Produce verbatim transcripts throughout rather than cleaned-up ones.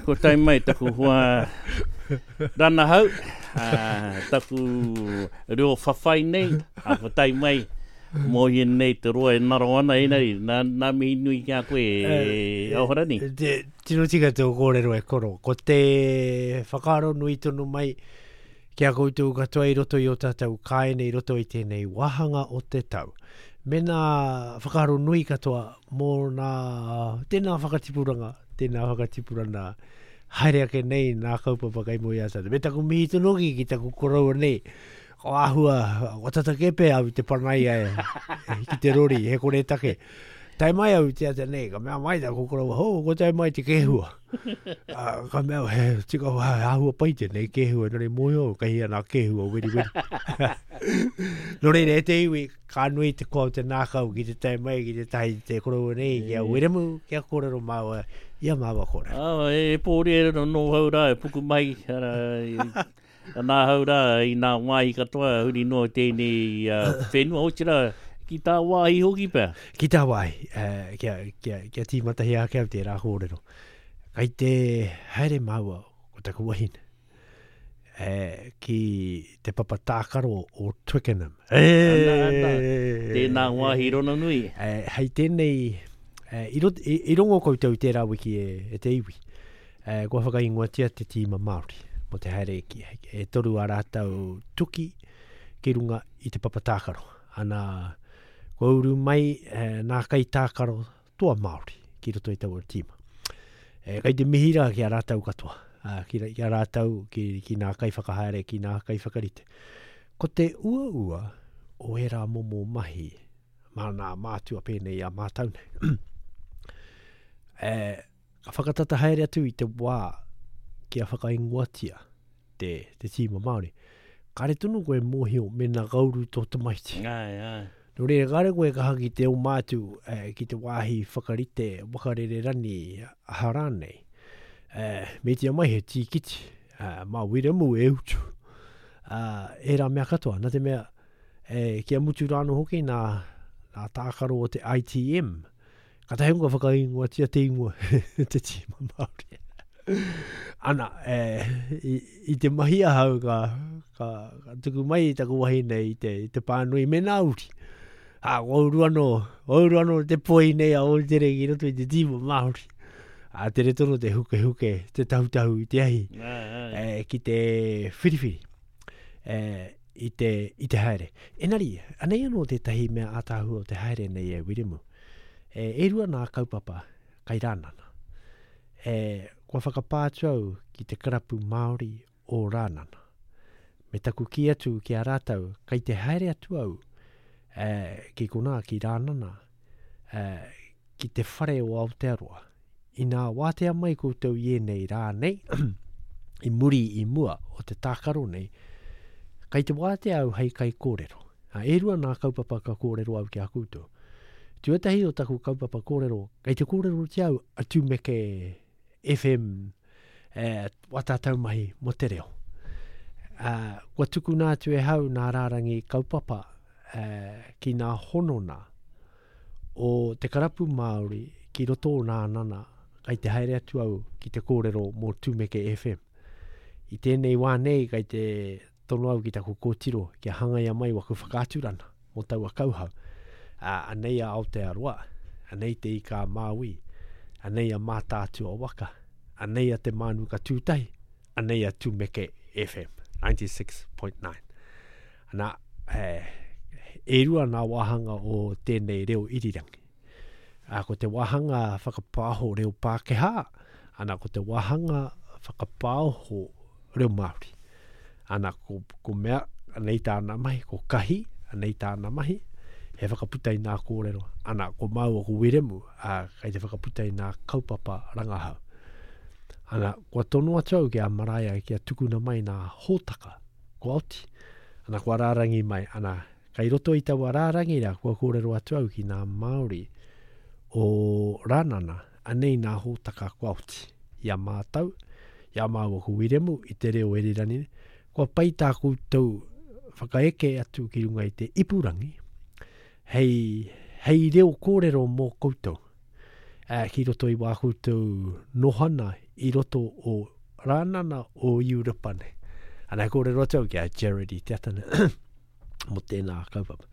Ko tae mai taku hoa ranahau, uh, taku reo whawhai nei, a ko tae mai mō hi nei te roa e naro ana enari, nā, nā mihi nui ki a koe e Ahorangi. Te, tino tika te kōrero e koro. Ko te whakaaro nui tonu mai ki a koutou katoa i roto i o tātou kāinga i roto i tēnei wāhanga o te tau. Me nā whakaaro nui katoa mō nā tēnā whakatipuranga, tēnā whakatipuranga haere ake nei nā kaupapa kai mo i a tātou. Me taku mihi tonu hoki ki taku koroua nei. Ko āhua, ko tata kepe au te panaia e, ki te rori, he kore take. Tae mai au te ata nei, ka mea mai taku koroua, ho, ko tae mai te kēhua. Uh, ka mea, he, tika, he āhua pai tēnei kēhua, nō reira mōhio, kei hea nā kēhua, weri weri. Nō reira, e te iwi, ka nui te koa o te nākau ki te tae mai, ki te tahi te koroua nei, ki a Wiremu, ki a kōrero māua, i a māua kōrero. Oh, e pōri e no hau rā, e puku mai, ara, i, nā hau rā, i nā wāhi katoa, huri noa tēnei uh, whenua, otira, ki tā wāhi hoki pea. Ki tā wāhi, uh, kia, kia, kia tīmatahi ake au tērā kōrero. Kai te haere māua ko taku wahine, eh, ki te papa tākaro o Twickenham. E, ana, ana. Tēnā wāhi rona nui. Eh, hei tēnei, eh, i, rot, i, i rongo koutou tērā wiki e, e te iwi. Eh, kua whakaingoatia te tīma Māori mo te haere ki, e toru a rātou tuki ki runga i te papa tākaro. Ana, kua uru mai eh, nā kai tākaro toa Māori ki roto i taua tīma. E, kai te mihi rā ki a rātou katoa, a, ki, ki a rātou, ki, ki nā kai whakahaere, ki nā kai whakarite. Ko te uaua o ērā momo mahi, mā nā mātua pēnei a mātau nei. E, ka whakatata haere atu i te wā kia whakaingoatia te, te tīma Māori. Kāre tonu koe mōhio mēnā ka uru tō tamaiti. Ai, ai. Nō reira, kāre koe kaha ki te oma atu, eh, ki te wāhi whakarite wakarere rani aha rānei. Eh, me tia mai he tīkiti, eh, mā Wiremu e utu. Uh, ērā mea katoa, nā te mea, eh, kia mutu rāno hoki nā, nā tākaro o te I T M. Ka tahi ka whakaingoatia te ingoa, te tīma Māori. Ana, eh, i, i te mahi ahau ka, ka, ka tuku mai i taku wahine i te, i te pānui me nā uri. A, ko uru anō, ko uru anō te poi nei a Ōtere ki roto i te tīma Māori. A tere tono te hukehuke, te tahutahu i te ahi, Ai, ai. eh, ki te whiriwhiri, eh, i te, i te haere. Enari, anei anō tētahi mea ātaahua o te haere nei e Wiremu. E, e rua nā kaupapa kai Rānana. E, kua whakapā atu au ki te karapu Māori o Rānana. Me taku kī atu ki a rātou, kai te haere atu au, e, ki konā, ki Rānana, e, ki te whare o Aotearoa. Inā wātea mai koutou i ēnei rā nei, i muri i mua o te tākaro nei, kai te wātea au hei kai kōrero. A, e rua nā kaupapa ka kōrero au ki a koutou. Tuatahi o taku kaupapa kōrero, kai te kōrero te au a Tumeke F M, eh, wa tātou mahi mo te reo. Uh, kua tukuna atu e hau nā rārangi kaupapa, eh, ki nā honona o te karapu Māori ki roto o Rānana, kai te haere atu au ki te kōrero mō Tumeke F M. I tēnei wā nei, kai te tono au ki taku kōtiro kia hangaia mai waku whakaaturana mō taua kauhau. Uh, anei a Aotearoa, anei te Ika a Māui, anei a Mātaatua waka, anei a Te Mānuka Tūtahi, anei a Tumeke F M, ninety-six point nine. Ana, eh, e rua nā wāhanga o tēnei reo irirangi. A, ko te wāhanga whakapāho reo Pākehā, ana ko te wāhanga whakapāho reo Māori. Ana, ko, ko mea, anei tāna mahi, ko Kahi, anei tāna mahi, he whakaputa i nā kōrero. Ana, ko māua ko Wiremu, a, kai te whakaputa i nā kaupapa rangahau. Ana, kua tono atu au ki a Maraea kia tukuna mai nā hōtaka, ko Aoti. Ana, kua rārangi mai, ana, kai roto i taua rārangi rā, kua kōrero atu au ki nā Māori o Rānana, anei nā hōtaka ko Aoti. I a mātou, i a māua ko Wiremu, i te reo Erirani, kua pai tā koutou whakaeke atu ki runga i te ipurangi, hei, hei reo kōrero mō koutou. eh, ki roto i wā koutou nohana i roto o Rānana o Europa nei. Ana e kōrero atu au ki a Jared i te ata nei mō tēnā kaupapa.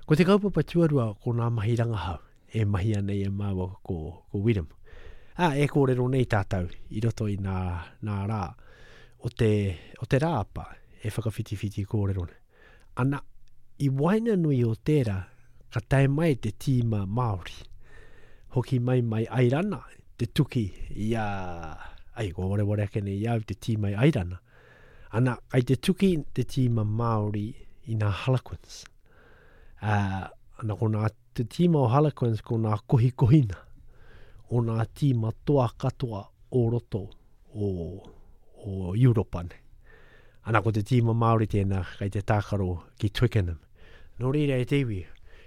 Ko te kaupapa tuarua ko nā mahi rangahau e mahia nei e māua ko, ko Wiremu. Ā, e kōrero nei tātou i roto i nā, nā rā o te, o te rāapa e whakawhitiwhiti kōrero nei. Ana, i waenganui o tērā, ka tae mai te tīma Māori. Hoki mai mai Airana, te tuki i a, ai, kua wareware ake nei i au te tīma i Airana. Ana, kai te tuki te tīma Māori i nā Harlequins. Uh, ana ko nā te tīma o Harlequins ko nā kohikohina o nā tīma toa katoa o roto o, o Europa nei. Ana ko te tīma Māori tēnā kai te tākaro ki Twickenham. Nō reira e te iwi,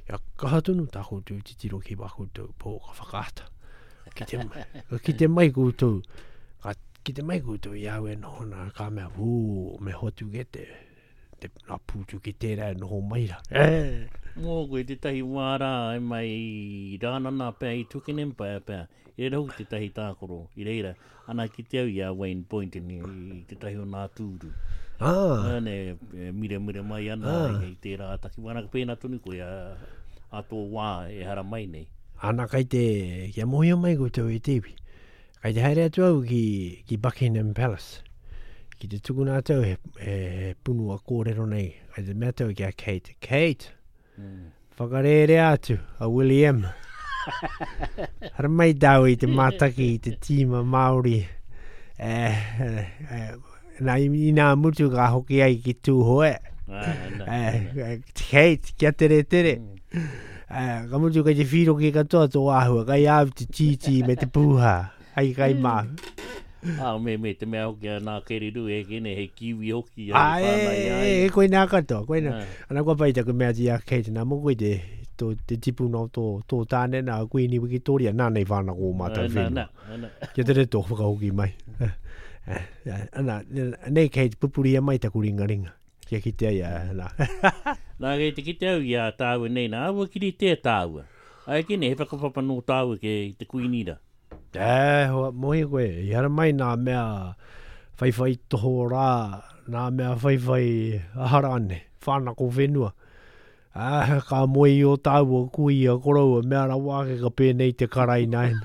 ia kaha tonu tā koutou titiro ki wā koutou pōka whakaata. Ki te, ki te mai koutou, ka, ki te mai koutou i au e noho nā, ka mea, hū, me hoatu ke te, te nā pūtu ki tērā e noho mai rā. Eh. Mō koe tētahi wā rā e mai i Rānana pea i Twickenham pea pea. I reira hoki tētahi tākaro, i reira, ana ki te au i a Wayne Boynton i, i tētahi o nā tūru. Ah. Ane, e mire mire mai ana Ah. i tērā takiwā. Ana ka pēnā tonu koe a, a tō wā e hara mai nei. Ana kai te, kia mōhio mai koutou e te iwi. Kai te haere atu au ki, ki Buckingham Palace. Ki te tukuna atu au he, he, he punua kōrero nei. Kai te mea atu au ki a Kate. Kate, Mm. whakarērea atu a William. Hara mai tāu i te mātaki i te tīma Māori. Eh, eh, eh, nā, i nā mutu ka hoki ai ki Tūhoe. Ah, ana, Eh, eh, Kate, kia tere tere. Mm. Eh, ka mutu kai te whiroki katoa tō āhua, kai au te tītī me te pūhā. Ai kai mā. Ah, me, me te mea hoki a nā kereru e kene, he kiwi hoki a Ah, e e, whānau i a e, ia. e, koe nā katoa, koe nā. Ah. Ana kua pai taku mea ti a Kate, nā mō koe te, tō, te tipuna o tō, tō tāne nā Kuini Wikitoria, nā nei whānau o mātou Ah, nā, whenua. nā, nā. Kia tere tō whakahoki mai. Eh, eh, Ana, nei Kate, pupuria mai taku ringaringa. Kia kitea ia, nā. Nā, kei te kite au i a tāua nei, nā, aua kiri tē tāua. Ai kene, he whakapapa nō tāua ke te kuini rā. E, hoa, mohi koe, i hara mai nā mea whaiwhai toho rā, nā mea whaiwhai aharane, whānako whenua. Ah, ka moe i o tāua kui a koroua, mea rawa ake ka pēnei te karai nāen.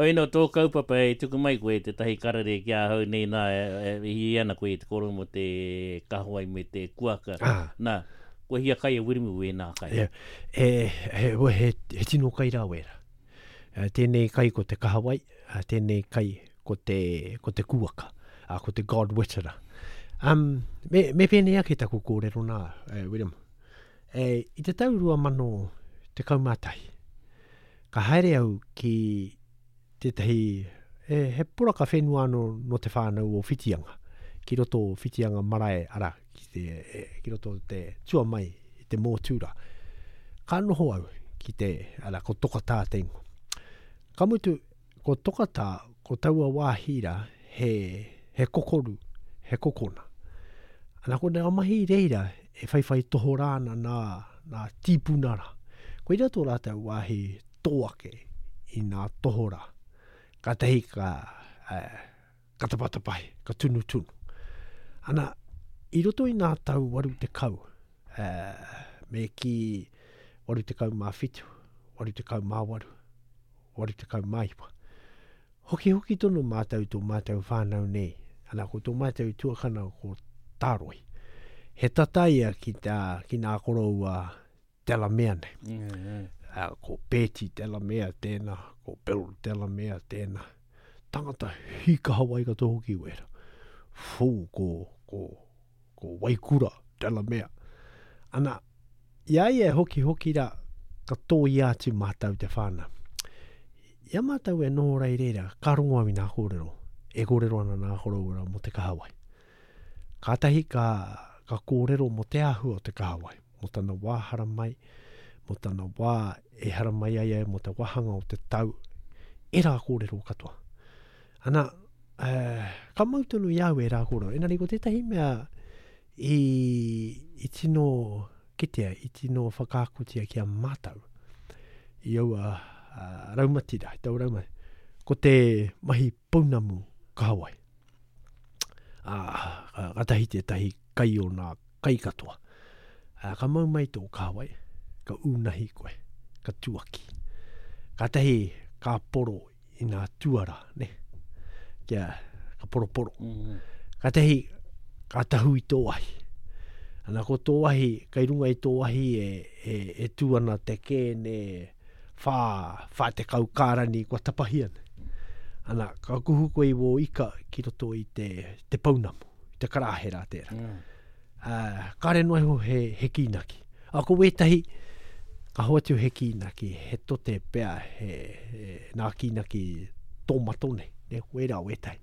Oi no, tō kaupapa e tuku mai koe te tahi karere ki ahau nei nā, e, e, hi ana koe i te koro mo te kahawai me te kuaka. Ah. Nā, kua hia kai e Wiremu e nā kai. E, e, he, he, he tino kai rā wera. Eh, Tēnei kai ko te kahawai, eh, tēnei kai ko te, ko te kuaka, ah, ko te God Witera. Um, me, me pēnei ake taku kōrero nā, eh, Wiremu. E, i te tau rua mano tekau mā tahi, ka haere au ki tētahi, e, he poraka whenua anō no te whānau o Whitianga, ki roto o Whitianga marae, ara, ki, te, e, ki roto o te tua mai, i te mōtūra. Ka noho au ki te, ara, ko Tokatā te ingoa. Ka mutu, ko Tokatā, ko taua wāhi rā, he, he kokoru, he kokona. Ana ko nā mahi reira, e whaiwhai tohorā ana nā, nā tīpuna rā. Koira tō rātou wāhi tō ake i nā tohorā. Ka tahi ka, eh, ka tapatapahi, ka tunutunu. Ana, i roto i nā tau waru te kau, eh, me ki waru te kau mā whitu, waru te kau mā waru, waru te kau mā iwa. Hoki hoki tonu mātou tō mātou whānau nei. Ana, ko tō mātou tuakana ko Tāroi. He tata ia ki, tā, ki nā koroua Delamere nei. Mm, mm. Uh, ko Betty Delamere tēnā, ko Bill Delamere tēnā. Tangata hikaha wai katoa hoki wera. Fū, ko, ko, ko Waikura Delamere. Ana, i a ia e hoki hoki rā, ka tōia atu mātou te whānau. I a mātou e noho rei reira, ka rongo au i nā kōrero. E kōrero ana nā koroua rā mō te kahawai. Kātahi ka, ka kōrero mō te āhua o te kahawai, mō tana wā haramai, mō tana wā e haramai ai ai, mō te wāhanga o te tau, e rā kōrero katoa. Ana, eh, ka mau tonu i au e rā kōrero. Engari ko tētahi mea i, i tino kitea, i tino whakaakotia ki a mātou. i aua uh, raumati rā, i tau raumati. Ko te mahi pounamu kahawai. Ā, ka, ka tahi tētahi kai o nā kai katoa. Ā, ka mau mai tō kahawai, ka ūnahi koe, ka tuaki. Ka tahi ka poro i nā tuara, ne? Kia, ka poroporo. Mm. Ka tahi, ka tahu i tō ahi. Ana ko tō ahi, kai runga i tō ahi e, e, e tū ana te kēne whā, whā te kau kārani kua tapahi ana. Ana, ka kuhu koe i wō ika ki roto i te, te pounamu, i te karāhera tērā. Mm. Uh, kāre noa iho he, he kīnaki. A ko wētahi, ka hoatu he kīnaki, he tote pea, he, he nā kīnaki tōmato nei, ne, wērā wētahi.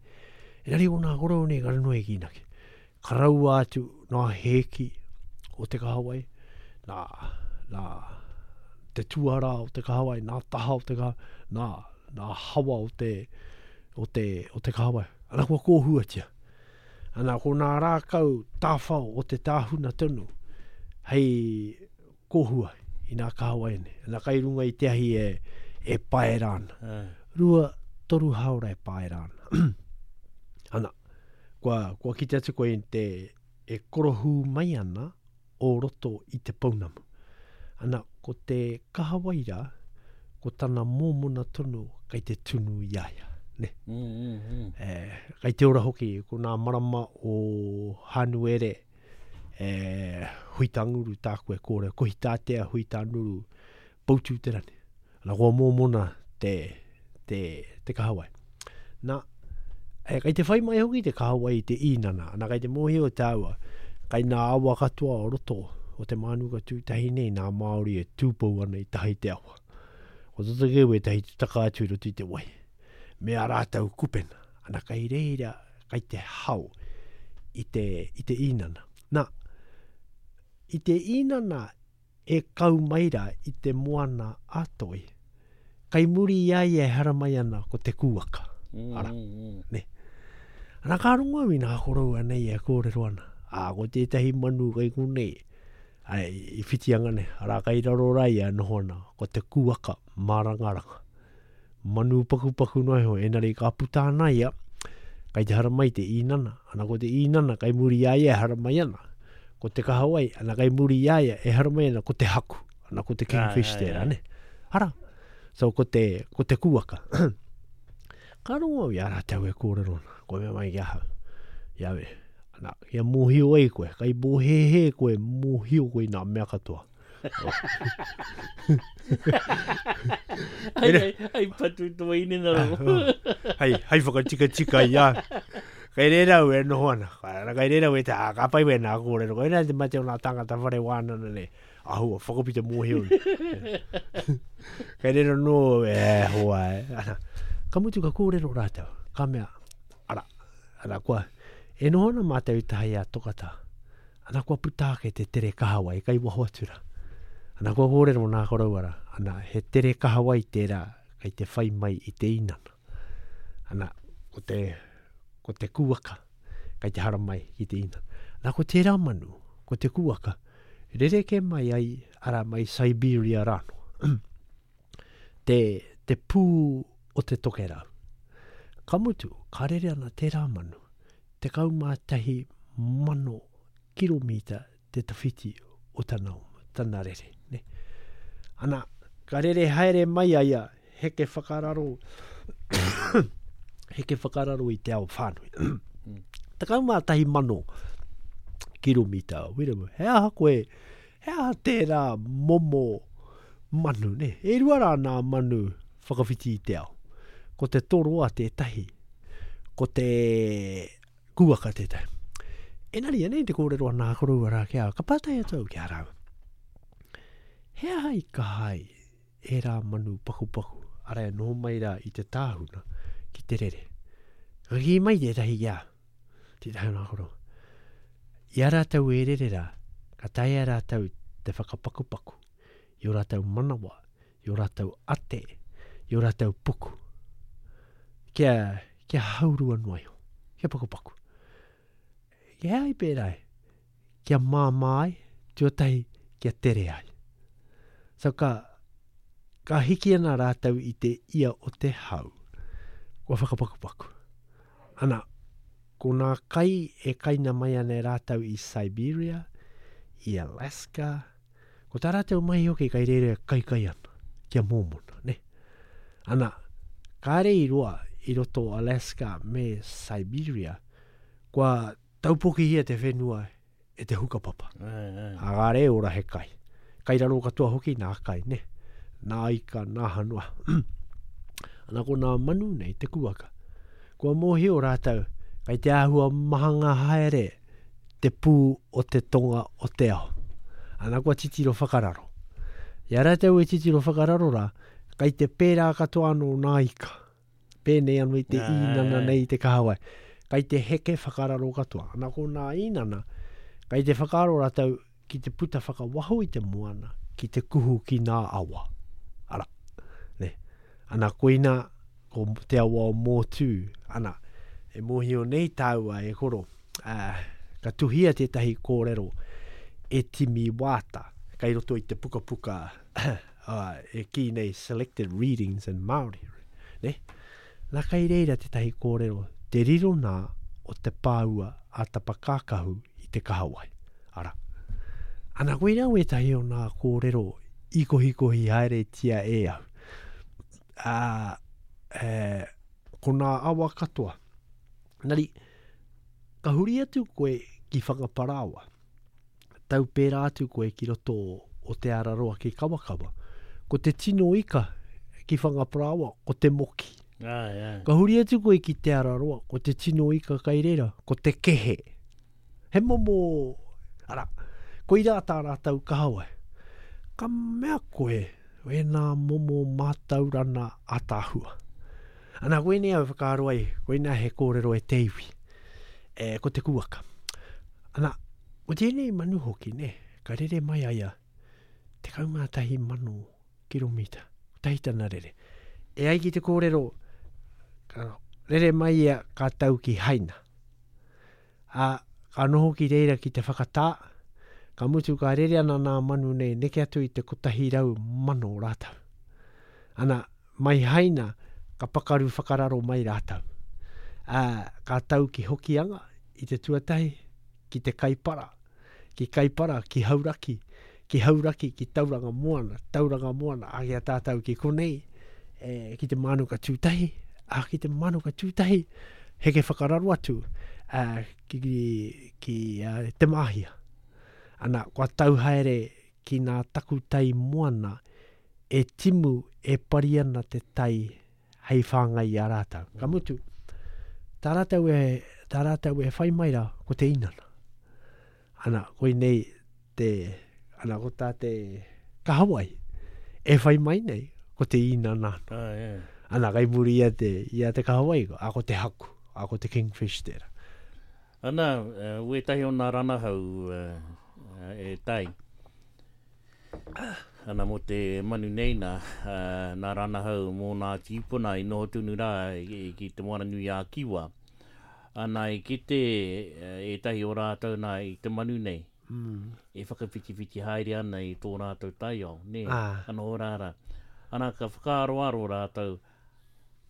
Engari o nā korou nei, kāre noa he kīnaki. Ka raua atu nā hēki o te kahawai, nā, nā te tuara o te kahawai, nā taha o te kahawai, nā, nā hawa o te, o te, o te kahawai. Ana kua kōhuatia. Ana ko nā rākau tāwhao o te tāhuna tonu hei kōhua i nā kahawai nei. Ana kai runga i te ahi e, e paera ana. Ah. Rua, toru haora e paera ana. Ana, kua, kua kite atu koe i te e korohū mai ana o roto i te pounamu. Ana, ko te kahawai rā, ko tana mōmona tonu kai te tunu i a ia. Ne? Mm, mm, mm. E, kai te ora hoki, ko nā marama o Hanuere, e, Huitanguru tāku e kōrero, kohi tātea Huitanguru, Poutū te rani. Ana kua mōmona te, te, te kahawai. Nā, e, kai te whai mai hoki te kahawai i te īnana, ana kai te mōhio tāua, kai nā awa katoa o roto o te Mānuka tūtahi nei, nā Māori e tūpou ana i tahi te awa. Ko toto kē wētahi te taka atu i roto i te wai. Me a rātou kupena. Ana kai reira, kai te hao i te, i te īnana. Nā, i te īnana e kau mai rā i te moana a toi, kai muri i a ia e haramai ana ko te kūaka. Mm, Ara. mm, mm. Ana ka rongo au i nā koroua nei e kōrero ana. Ā, ko tētahi manu kai konei, ai, i whitianga nei, arā kai raro rā ia noho ana, ko te kūaka mārangaranga. Manu pakupaku noa iho, enari ka puta ana ia, kai te haramai te īnana. Ana ko te īnana kai muri i a ia e haramai ana. Ko te kahawai, ana kai muri i a ia e haramai ana ko te haku. Ana ko te kingfish Ai, ai, tērā, ai. ne? Ara, so ko te, ko te kūaka. Ka rongo au i a rātou e kōrero ana, koe mea mai ki ahau. Ia we, ana, kia mōhio ai koe, kai mōhēhē koe, mōhio koe i nā mea katoa. Ai, ai, ai patu tō inenaro. Hei, hei whakatikatika i a. Kai reira au e noho ana. Ana kai reira au e te, ā, ka pai wē nā kōrero. Koe nā te mate o nā tangata whare wānana nei. Ahua, whakapita mōhio. Kai reira nō, e, hoa, e. Ana, ka mutu ka kōrero rātou. Ka mea, ara, ara, kua, e noho ana mātou i tahi a Tokata. Ana kua puta ake te tere kahawai, kai waho atu rā. Ana kua kōrero nā koroua rā. Ana, he tere kahawai tērā, kai te whai mai i te inana. Ana, ko te, ko te kūaka, kai te haramai ki te inana. Nā, ko tērā manu, ko te kūaka, rereke mai ai, ara mai Siberia rāno. te, te pū o te tokerau. Ka mutu, ka rere ana tērā manu, tekau mā tahi mano kilomita te tawhiti o tana, tana rere. Ne? Ana, ka rere haere mai ai a heke whakararo, heke whakararo i te ao whānui. Tekau mā tahi mano kilomita. Wiremu, he aha koe, he aha tērā momo manu, ne? E rua rā nā manu whakawhiti i te ao. Ko te toroa tētahi, ko te kūaka tētahi. Enari, anei te kōrero a nā koroua rā ki a, ka pātai atu au ki a rāua. He aha i kaha ai e rā manu pakupaku, ara e noho mai rā i te tāhuna ki te rere. Ka kī mai tētahi ki a, tētahi o nā koroua. I a rātou e rere rā, ka taea rātou te whakapakupaku, i o rātou manawa, i o rātou ate, i o rātou puku. Kia, kia haurua noa iho, kia pakupaku. Kia ai pērā e, kia māmā ai, tuatahi, kia tere ai. So ka, ka hiki ana rātou i te ia o te hau. Kua whakapakupaku. Ana, ko nā kai e kaina mai ana e rātou i Siberia, i Alaska, ko tā rātou mai hoki kai reira kai kai ana, kia mōmona, ne? Ana, kāre i roa i roto Alaska me Siberia, kua taupokihia te whenua e te hukapapa. Ai, ai. A kāre e ora he kai. Kai raro katoa hoki nā kai, ne? Nā ika, nā hanua. Ana ko nā manu nei te kuaka. Kua mōhio rātou, kai te āhua mahanga haere te pū o te tonga o te ao. Ana kua titiro whakararo. I a rātou e titiro whakararo rā, kai te pērā katoa anō nā ika. Pēnei anō i te Ai, īnana ai. nei i te kahawai. Kai te heke whakararo katoa. Ana ko nā īnana, kai te whakaaro rātou ki te puta whakawaho i te moana, ki te kuhu ki nā awa. Ara, ne. Ana koina, ko te awa o Mōtū, ana, e mōhio nei tāua e koro, uh, ka tuhia tētahi kōrero e Timi Wāta, kai roto i te pukapuka uh, e kī nei Selected Readings in Māori. Ne? Nā kai reira tētahi kōrero, te riro nā o te pāua a Tapakākahu i te kahawai. Ara. Ana koina wētahi o nā kōrero i kohikohi haeretia e au. Ā, e, ko nā awa katoa. Nari, ka huri atu koe ki Whangaparaoa. Tau pērā atu koe ki roto o Te Araroa ki Kawakawa. Ko te tino ika ki Whangaparaoa, ko te moki. Ai, ai. Ka huri atu koe ki Te Araroa, ko te tino ika kai reira, ko te kehe. He momo, ara, koirā tā rātou kahawai. Ka mea koe, wēnā momo mātaurana ātaahua. Ana, koinei au whakaaro ai, koinā he kōrero e te iwi, e, ko te kuaka. Ana, ko tēnei manu hoki, ne, ka rere mai aia, tekau mā tahi mano kiromita, kotahi tana rere. E ai ki te kōrero, ka rere mai ia ka tau ki Haina. A, ka noho ki reira ki te whakatā, ka mutu ka rere ana nā manu nei, neke atu i te kotahi rau mano rātou. Ana, mai Haina, ka pakaru whakararo mai rātou. Ā, ka tau ki Hokianga, i te tuatahi, ki te Kaipara, ki Kaipara, ki Hauraki, ki Hauraki, ki Tauranga Moana, Tauranga Moana, a ki a tātou ki konei, e, ki te Mānuka Tūtahi, a ki te Mānuka Tūtahi, heke whakararo atu, a, ki, ki, ki a, Te Māhia. Ana, kua tau haere ki nā takutai moana, e timu e pari ana te tai hei whāngai i a rātou. Ka mutu, tā rātou e, tā rātou e whai mai rā, ko te inana. Ana, koinei te, ana ko tā te kahawai, e whai mai nei, ko te inana. Ai, ai. Ana, kai muri ia te, ia te kahawai, a ko te haku, a ko te kingfish tērā. Ana, eh, wētahi o nā ranahau eh, e tai. Ana mō te manu nei nā, eh, nā ranahau mō nā tīpuna i noho tunu rā i, ki te Moana Nui a Kiwa. Ana i kite eh, ētahi o rātou nā i te manu nei. Mm. E whakawhitiwhiti haere ana i tō rātou taiao, nē, Ah. ana o rāra. Ana ka whakaaroaro rātou,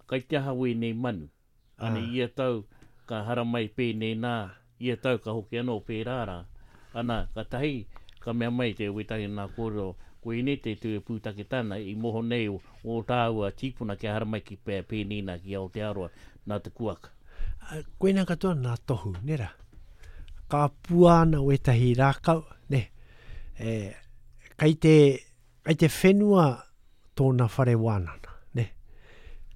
kai te aha wēnei manu. Ana Ah. ia tau ka haramai pēnei nā, ia tau ka hoki anō pērā rā. Ana, ka tahi, ka mea mai te wētahi nā kōrero, koinei te tū pūtake tāna i moho nei o, o tāua tīpuna kia haramai ki pē, pēnei nā ki Aotearoa, nā te kuaka. A, koina katoa nā tohu, nē rā. Ka pua ana wētahi rākau, ne. E, kai te, kai te whenua tōna whare wānana, ne.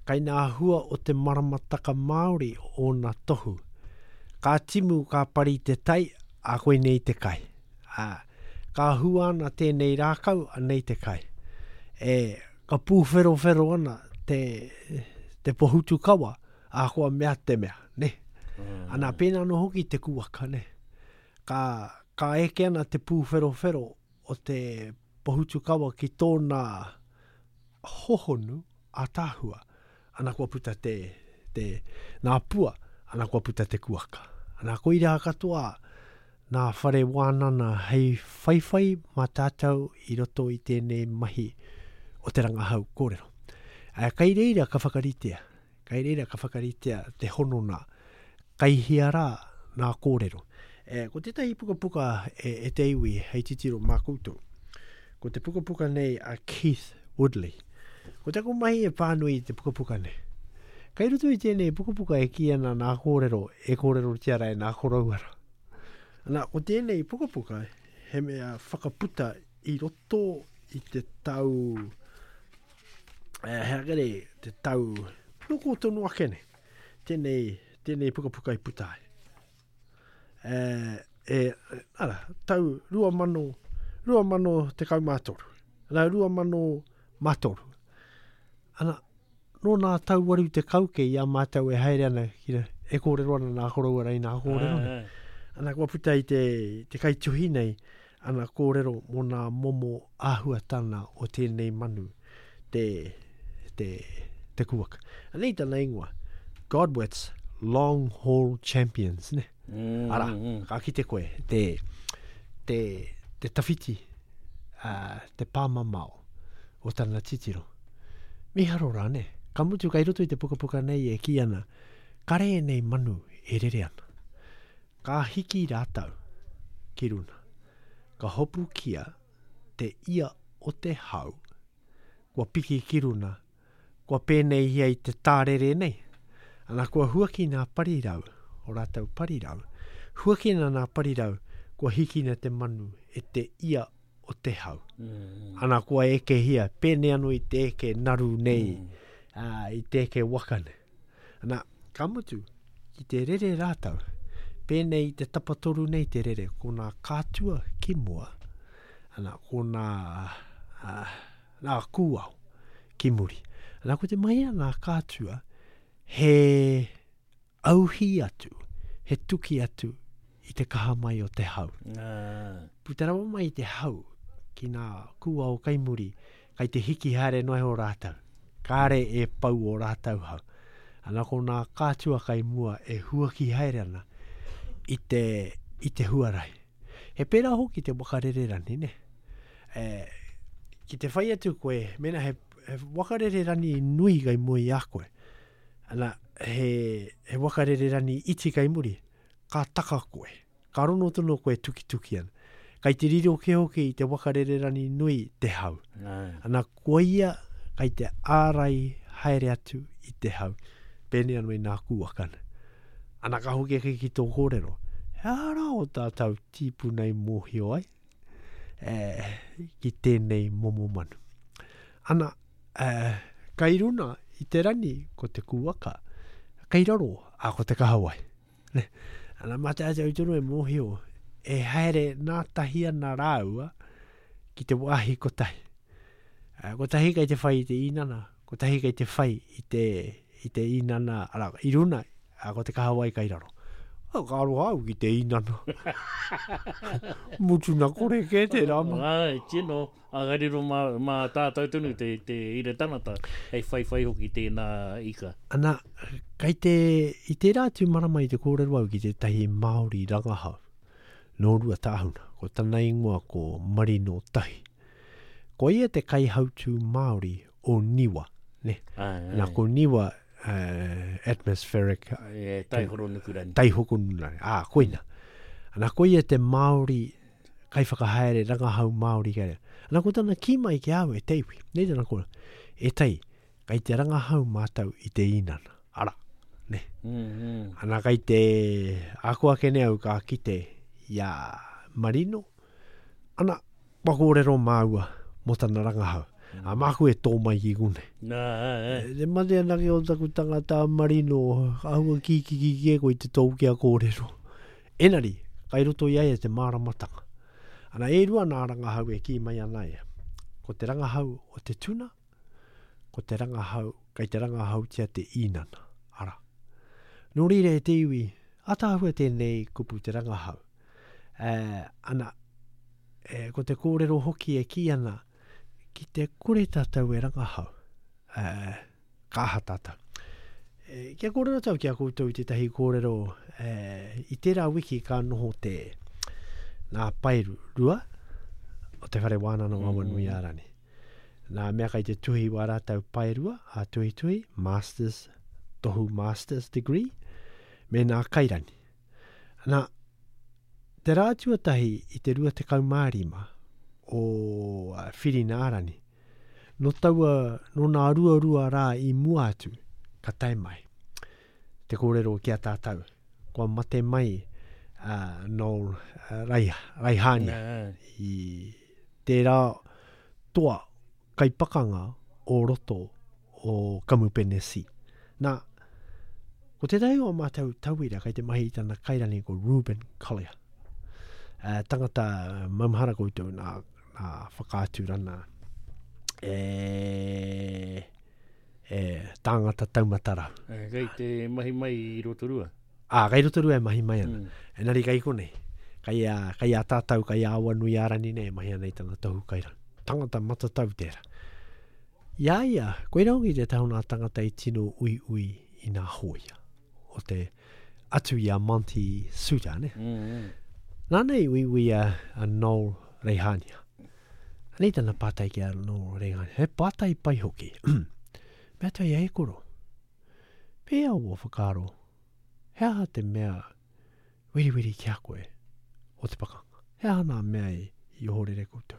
Kai nā hua o te maramataka Māori ōna tohu. Ka timu ka pari te tai, a koinei te kai. A, ka hua ana tēnei rākau, anei te kai. E, ka pūwherowhero ana te, te pohutukawa, a koa mea te mea, ne. Mm. Ana, pēnā anō hoki te kuaka, ne. Ka, ka eke ana te pūwherowhero o te pohutukawa ki tōna hohonu a tāhua. Ana kua puta te, te nā pua, ana kua puta te kuaka. Ana koirā katoa nā whare wānana hei whaiwhai mā tātou i roto i tēnei mahi o te rangahau kōrero. Uh, kai reira ka whakaritea, kai reira ka whakaritea te honona, kai hia rā nā kōrero. E, ko tētahi pukapuka e, e te iwi hei titiro mā koutou. Ko te pukapuka nei a Keith Woodley. Ko taku mahi e pānui i te pukapuka nei. Kai roto i tēnei pukapuka e kī ana nā kōrero, e kōrerotia rā e nā korauara. Ana, ko tēnei pukapuka he mea whakaputa i roto i te tau, eh, hea kere, te tau, noko tonu ake nei. Tēnei, tēnei pukapuka i puta ai. Eh, e, ara, tau rua mano, rua mano tekau mā toru. Ana, rua mano mā toru. Ana, nō nā tau waru te kauke i a mātou e haere ana, ki re, e kōrero ana nā koroua rei nā kōrero nei. Ai, ai. Ana, kua puta i te, te kaituhi nei, ana kōrero mō nā momo āhuatana o tēnei manu, te, te, te kuaka. Anei tana ingoa, Godwits Long Haul Champions, ne? Mm, Ara, mm, mm. ka kite koe, te, te, te tawhiti, uh, te pāmamao o tana titiro. Miharo rā, ne? Ka mutu kai roto i te pukapuka nei e kī ana, kare e nei manu e rere ana. Ka hiki rātou ki runa. Ka hopukia te ia o te hau, kua piki ki runa, kua pēnei ia i te tārere nei. Ana kua huaki nā parirau, o rātou parirau. Huakina nā parirau, kua hikina te manu e te ia o te hau. Mm, Ana kua ekehia, pēnei anō i te eke naru nei, mm. ā, i te eke waka nei. Ana, ka mutu, ki te rere rātou, pēnei i te tapatoru nei te rere, ko nā kātua ki mua, ana, ko nā, ā, nā kūao ki muri. Ana, ko te mahi a nā kātua, he auhi atu, he tuki atu i te kaha mai o te hau. Ah. Puta rawa mai i te hau ki nā kūao kai muri, kai te hiki haere noa iho rātou. Kāre e pau o rātou hau. Ana ko nā kātua kai mua e huaki haere ana i te, i te huarahi. He pērā hoki te wakarererani, ne? E, ki te whai atu koe, mena he, he wakarererani nui kai mua i a koe. Ana, he, he wakarererani iti kai muri, ka taka koe. Ka rono tono koe tukituki ana. Kai te riro ke hoki i te wakarererani nui te hau. Ai. Ana koia kai te ārai haere atu i te hau. Pēnei anō i nā kūakana. Ana ka hoki ake ki tō kōrero. He ara o tātou tīpuna i mōhio ai e, ki tēnei momo manu. Ana, e, kai runa i te rani ko te kūaka, kai raro a ko te kahawai. Ne? Ana mā tātou tonu e mōhio, e haere nā tahi ana rāua ki te wāhi kotahi. Eh, kotahi kai te whai i te inana, kotahi kai te whai i te, i te inana, ara, i runa, a ko te kahawai kai raro. Oh, ka aroha au ki te inana. Mutu nā kore kē te rama. Ai, tino, a gariro mā, mā tātou tonu te, te ira tangata, hei whai whai hoki tēnā ika. Ana, kai te, i tērā atu marama i te kōrero au ki tētahi Māori rangahau, nō Ruatāhuna, ko tana ingoa ko Marino Tahi. Ko ia te kaihautū Māori o Niwa, ne? Ai, ai. Nā, ko Niwa, uh, atmospheric E, taihoro nukurani. taihoko nukurani. Ah, koina. Ana ko ia te Māori kaiwhakahaere rangahau Māori kei reira. Ana ko tana kī mai ki au e te iwi. Nei tana kōrero. E tai, kai te rangahau mātou i te inana. Ara, ne. Mm, mm. Ana kai te ako ake nei au ka kite i a Marino. Ana, kua kōrero māua mō tana rangahau. A māku e tō mai ki kune. Nā, ai, ai. E, Te mate anake o taku tangata Marino, ahua ki ki ki ki e koe te tō kia kōrero. Enari, kai roto i a ia te māramatanga. Ana e rua nā rangahau e kī mai ana ia. Ko te rangahau o te tuna, ko te rangahau, kai te rangahautia te inana. Ara. Nō reira e te iwi, ataahua tēnei kupu te rangahau. E, ana, e, ko te kōrero hoki e kī ana, ki te kore tātou e rangahau, e, ka aha tātou. E, kia kōrero tau ki a koutou i tētahi kōrero, e, i tērā wiki ka noho te nā paeru rua o te whare wānanga o Awanuiārani. Nā mea kai te tuhi wā rātau paerua, a tuhituhi, masters, tohu master's degree, me nā kairani. Nā, te rā tuatahi i te rua tekau mā rima o uh, Whirinārani, no taua, no nā rua rua rā i mua atu, ka tae mai. Te kōrero ki a tātou, kua mate mai uh, Noel uh, Raiha, Raihania i tērā toa kaipakanga o roto o Kamupene C. Nā, ko tētahi o mātou tauira kai te mahi i tana kairani ko Ruben Collier. Uh, tangata maumahara koutou nā, nā whakaaturana e, e, tāngata taumatara. E, kei te mahi mai i Rotorua. Ā, kei Rotorua e mahi mai ana. Mm. Enari kei konei. Kei a, kei a tātou, kei a Awanuiārani nei e mahi ana i tana tohu kairani. Tangata matatau tērā. Ia ia, koe hoki te tahu nā tangata i tino ui ui i nā hōia. O te atu i a Monty Suter, ne? Mm, mm. Nā nei ui ui a, a Noel Reihania. Anei tana pātai ki a Noel Reihania. He pātai pai hoki. Mea atu ai e koro. Pēa o whakaaro, he aha te mea wiriwiri ki a koe o te pakanga. He aha nā mea i, i ohorere koutou.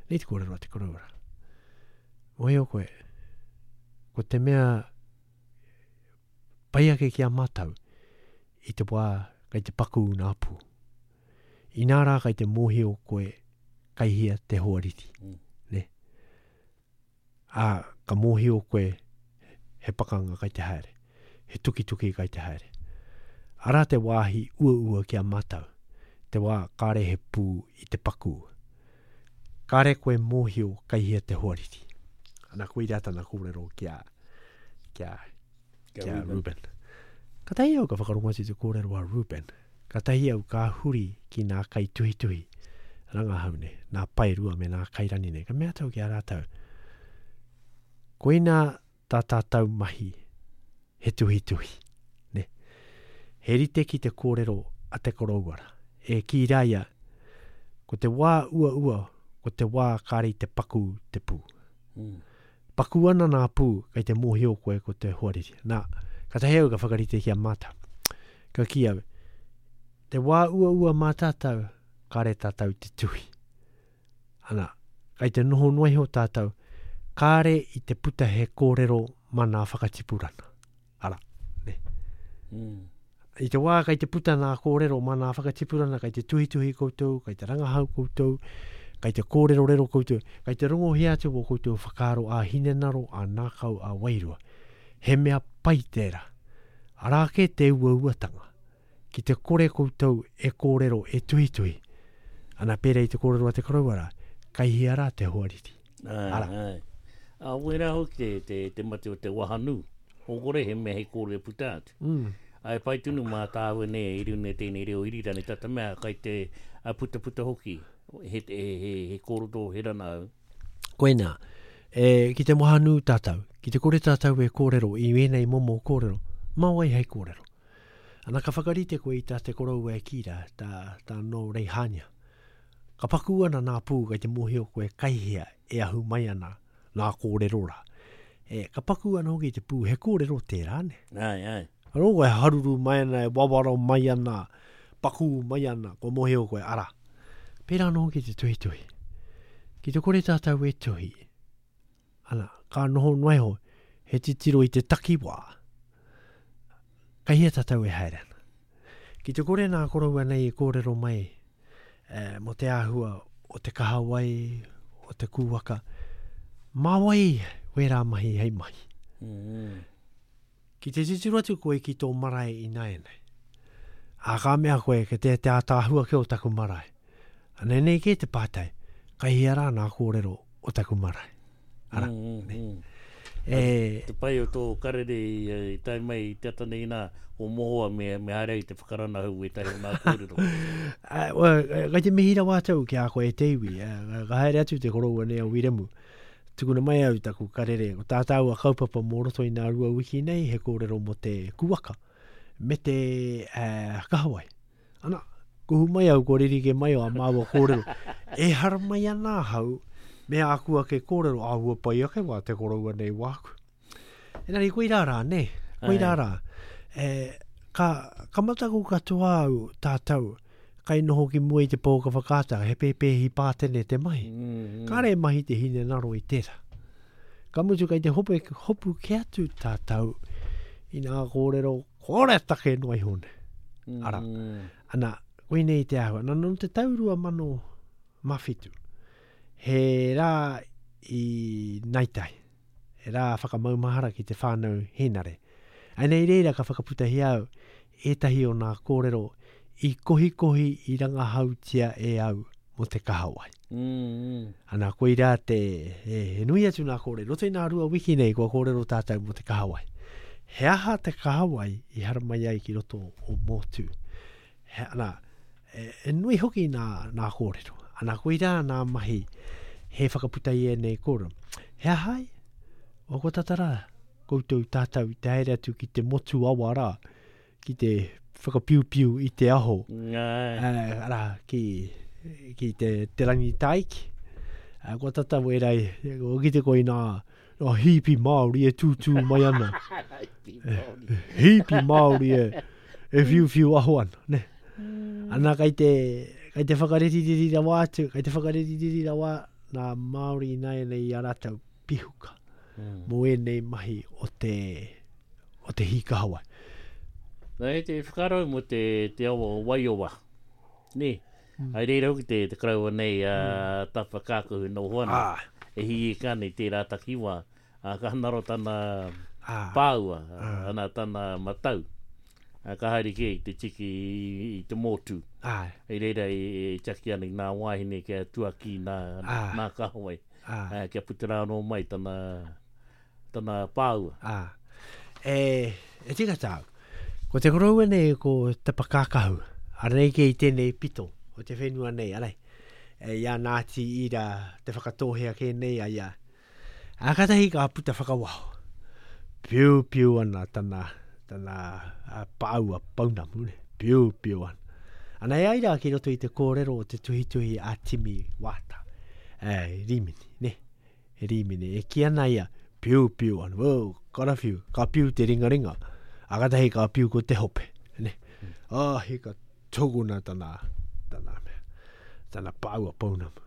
Nei te kōrero a te koroura. Mohio koe, ko te mea pai ake ki a mātau i te wā kai te paku nā pū. Inā rā kai te mōhio koe kai hia te hoariri. Mm. Ne? Ā, ka mōhio koe he pakanga kai te haere, he tukituki kai te haere. Arā te wāhi uaua ki a mātau, te wā kāre he pū i te paku. Kāre koe mōhio kai hia te hoariri. Ana koe rā tana kōrero ki a, ki a, ki a Ruben. Ka tahi au ka whakarongo atu te kōrero a Ruben. Ka tahi au ka huri ki nā kai tuhituhi rangahau nei, nā paerua me nā kairani nei. Ka mea tau ki a rātou. Koina tā tātou mahi he tuhituhi. Ne? He rite ki te kōrero a te korouara. E ki rāia, ko te wā uaua, ko te wā kāre i te paku te pū. Mm. Paku ana nā pū, kei te mōhio koe ko te hoariri. Nā, ka tahi au ka whakarite ki a mātau. Ka ki au, te wā uaua mā tātou, kāre tātou te tuhi. Ana, kei te noho noa iho tātou, kāre i te puta he kōrero mā nā whakatipurana. Ara, ne. Mm. I te wā kei te puta nā kōrero mā nā whakatipurana, kei te tuhituhi koutou, kei te rangahau koutou, kei te kōrero rero koutou, kei te rongohia atu o koutou whakaaro a hinenaro, a nākau, a wairua. He mea pai tērā. Arā ke te uauatanga. Ki te kore koutou e kōrero, e tuhituhi. Ana pērā i te kōrero a te korouara, kai hia rā te hoariri. Ai, Ara. ai. A wera hoki te, te, te mate o te wahanu. O kore he mea he kōrero puta atu. Mm. Ai pai tunu mā tāwe nei, i rune tēnei reo irirani, tata mea kai te a puta puta hoki. He, he, he, he kōroto, he rana au. Koinā, e, ki te wahanu tātou, ki te kore tātou e kōrero, i wēnei momo kōrero, mā wai hei kōrero. Ana ka whakarite koe i tā te koroua e kīra, tā, tā no Reihania. Ka paku ana nā pū kei te mōhio koe kaihea e ahu mai ana nā kōrero rā. E, ka paku ana hoki te pū, he kōrero tērā ne. Ai, ai. Anō koe haruru mai ana, e wawaro mai ana, paku mai ana, ko mōhio koe, ara. Pērā anō hoki te tuhituhi. Ki te kore tātou e tuhi, ana, ka noho noa iho, he titiro i te takiwā. Kai hea tātou e haere ana. Ki te kore nā koroua nei e kōrero mai, e, mō te āhua o te kahawai, o te kūwaka, mā wai wērā mahi hei mahi. Mm. Ki te titiro atu koe ki tō marae i nāianei. Ā, ka mea koe ke te te ātaahua ke o taku marae. Anei nei ke te pātai, kai hea rā nā kōrero o taku marae. Ara, Mm, mm, mm. E, Te pai o tō karere i, i tae mai i te ata nei nā, o mohoa me, me haere i te whakaranahau e tahi o nā kōrero. a, wa, kai te mihi rawa atu ki a koe e te iwi, a, ka haere atu te koroua nei a Wiremu. Tukuna mai au taku karere, ko tā tāua kaupapa mō roto i nā rua wiki nei, he kōrero mō te kuaka, me te uh, kahawai. Ana, kuhu mai au, ko ririke mai o a māua kōrero. E haramai ana ahau, Me āku ake kōrero, āhua pai ake wā te koroua nei wāku. Engari, koirā rā, nē, koirā rā. E, ka, ka mataku katoa au tātou, kai noho ki mua i te pouaka whakaata, he pēpēhi pātene te mahi. Mm, Kāre e mahi te hinengaro i tērā. Ka mutu kai te hope, hopu ke atu tātou i nā kōrero kore take noa iho nei. mm, Ara. Ana, koinei te āhua. Nā, nō te tau rua mano mawhitu, he rā i Naitai, he rā whakamaumahara ki te whānau Hēnare. Ai nei reira ka whakaputahia au ētahi o nā kōrero i kohikohi i rangahautia e au mō te kahawai. Mm, mm. Ana, koirā te, he, he nui atu nā kōrero. Roto i nā rua wiki nei kua kōrero tātou mō te kahawai. He aha te kahawai i haramai ai ki roto o Mōtū? He, ana, e, e nui hoki nā, nā kōrero. Ana, koirā nā mahi he whakaputa i ēnei kōrero. He aha ai? O ko tata rā, koutou tātou i te haere atu ki te motu awa rā, ki te whakapiupiu i te aho. Ngai. Eh, arā, ki, ki te, te rangi taiki. Uh, kua tata wērai, o ki te koe nā, nā hīpi Māori e tūtū mai ana. Hīpi Māori. Hīpi Māori e, e whiuwhiu aho ana. Ne? Ana kai te, kai te whakareririri rawa atu, kai te whakareririri rawa nā Māori ināianei i a rātou pihuka Mm. mō ēnei mahi o te, o te hīkahawai. Nā, e te whakarau mō te, te awa o Waiowa. Nē, Mm. ai reira hoki te, te karaua nei a mm. Tapa Kākahu no hoana. Ah, E hi e kāne tērā takiwā. A, ka naro tana ah, pāua, Ah. ana tana matau. A, ka haere kē i te tiki i, i te mōtū. ah, I reira e, e tiaki ana i nā wāhine kia tuaki nā, Ah. nā kahawai. ah. A, kia puta rā anō mai tana, tana pāua. Ah. E, e tika tāu. Ko te koroua nei ko Tapa Kākahu. Ara nei kei tēnei pito o te whenua nei, arai. E, i a Ngāti Ira te whakatōhea kē nei a ia. A katahi ka puta whakawaho. Piu piu ana tana, tana a, pāua pounamu, ne. Piu piu ana. Ana e ai rā ki roto i te kōrero o te tuhituhi a Timi Wāta. E, Rimini, ne. Rimini. E ki ana ia, piu piu ana, wow, karawhiu, ka piu te ringaringa. A katahi ka piu ko te hope. Ne. Ah, hika tokuna tana, tana mea, tana pāua pounamu.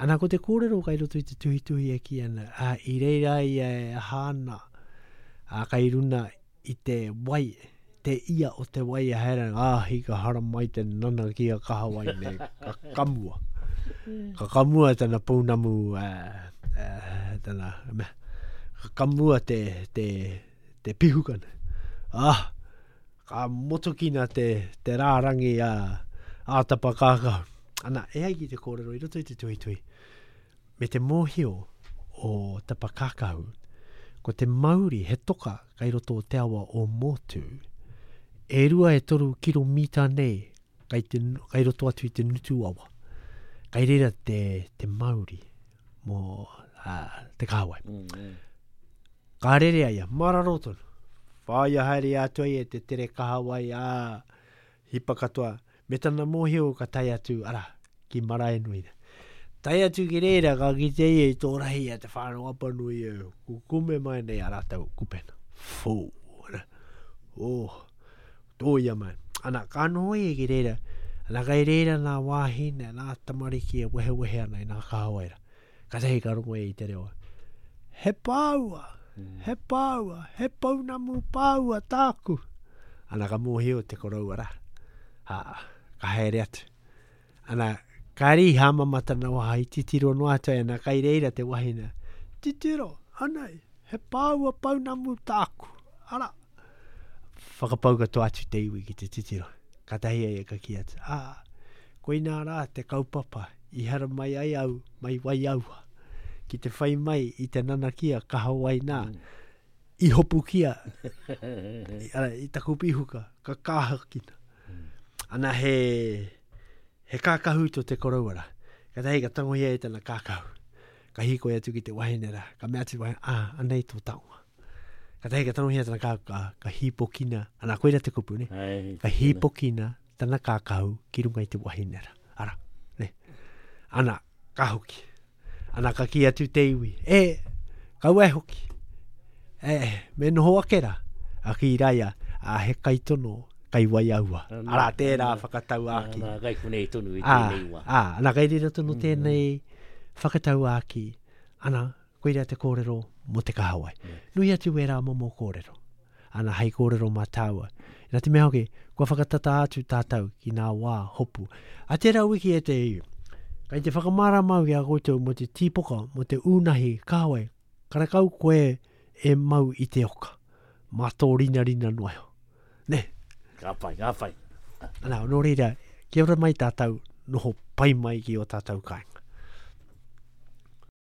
Ana ko te kōrero kai roto i te tuhituhi e ki ana, a, i reira ia e aha ana, a kai runa i te wai, te ia o te wai e haere ana, ah, hika haramai te nana ki a kahawai nei, ka kamua. Ka kamua tana pounamu, uh, uh, tana, mea, ka kamua te, te, te pihukana. Ah, ka motokina te, te rārangi a, a Tapa Kākahu. Ana, e ai ki te kōrero i roto i te tuhituhi, me te mōhio o Tapa Kākahu, ko te mauri he toka kai roto o te awa o Mōtū, e rua e toru kiromita nei kai, te, kai roto atu i te nutu awa. Kai reira te, te mauri mō uh, te kāwai. Mm, mm. Ka rere ai ia, mararo tonu. Whāia haere atu ai e te tere kahawai, ā, hipa katoa. Me tana mōhio ka tae atu, ara, ki Maraenui. Tae atu ki reira, ka kite ia i tō rahi a te whānau Apanui e, kukume mai nei a rātou kupena. Fō, ana. Oh, tōia mai. Ana, ka noho ia ki reira, ana kai reira nā wāhine, nā tamariki e wehewehe ana i nā kahawai rā. Ka tahi ka rongo ia i te reo. He pāua, he pāua, he pounamu pāua tāku. Ana ka mōhio te koroua rā. Ha, ka haere atu. Ana, ka ri hāmama tana waha i titiro noa atu ai, ana kai reira te wahine. Titiro, anei, he pāua pounamu tāku. Ara, whakapau katoa atu te iwi ki te titiro. Ka tahi ai e ka ki atu. Ah, koinā rā te kaupapa i haramai ai au, mai Waiaua. Ki te whai mai i te nanakia kahawai nā, i hopukia, i, ara, i taku pihuka, ka kāhakina. Ana he, he kākahu tō te koroua rā. Ka tahi ka tangohia e tana kākahu. Ka hīkoi atu ki te wahine rā. Ka mea atu te wahine, ah, anei tō taonga. Ka tahi ka tangohia tana kākahu, ka, ka hīpokina. Ana, koira te kupu, ne? Ai, Ka hīpokina tana kākahu ki runga i te wahine rā. Ara, ne? Ana, ka hoki. Ana ka ki atu te iwi, e, kaua e hoki. E, me noho ake rā. A ki raia, a he kaitono, kai waiaua. Arā, tērā whakatauākī. Nā, kai konei tonu i Ā, tēnei wā. ā, ana kai reira tonu tēnei whakatauākī. Ana, koira te kōrero mō te kahawai. Nui atu wērā momo kōrero. Ana, hei kōrero mā tāua. Nā te mea hoki, kua whakatata atu tātou ki ngā wā hopu. A tērā wiki e te iwi, kai te whakamārama au ki a koutou mō te tīpoka, mō te ūnahi kahawai, karekau koe e mau i te oka. Mā tō rinarina noa iho. Ne? Ka pai, ka pai. Ana, nō reira, kia ora mai tātou, noho pai mai ki o tātou kāinga.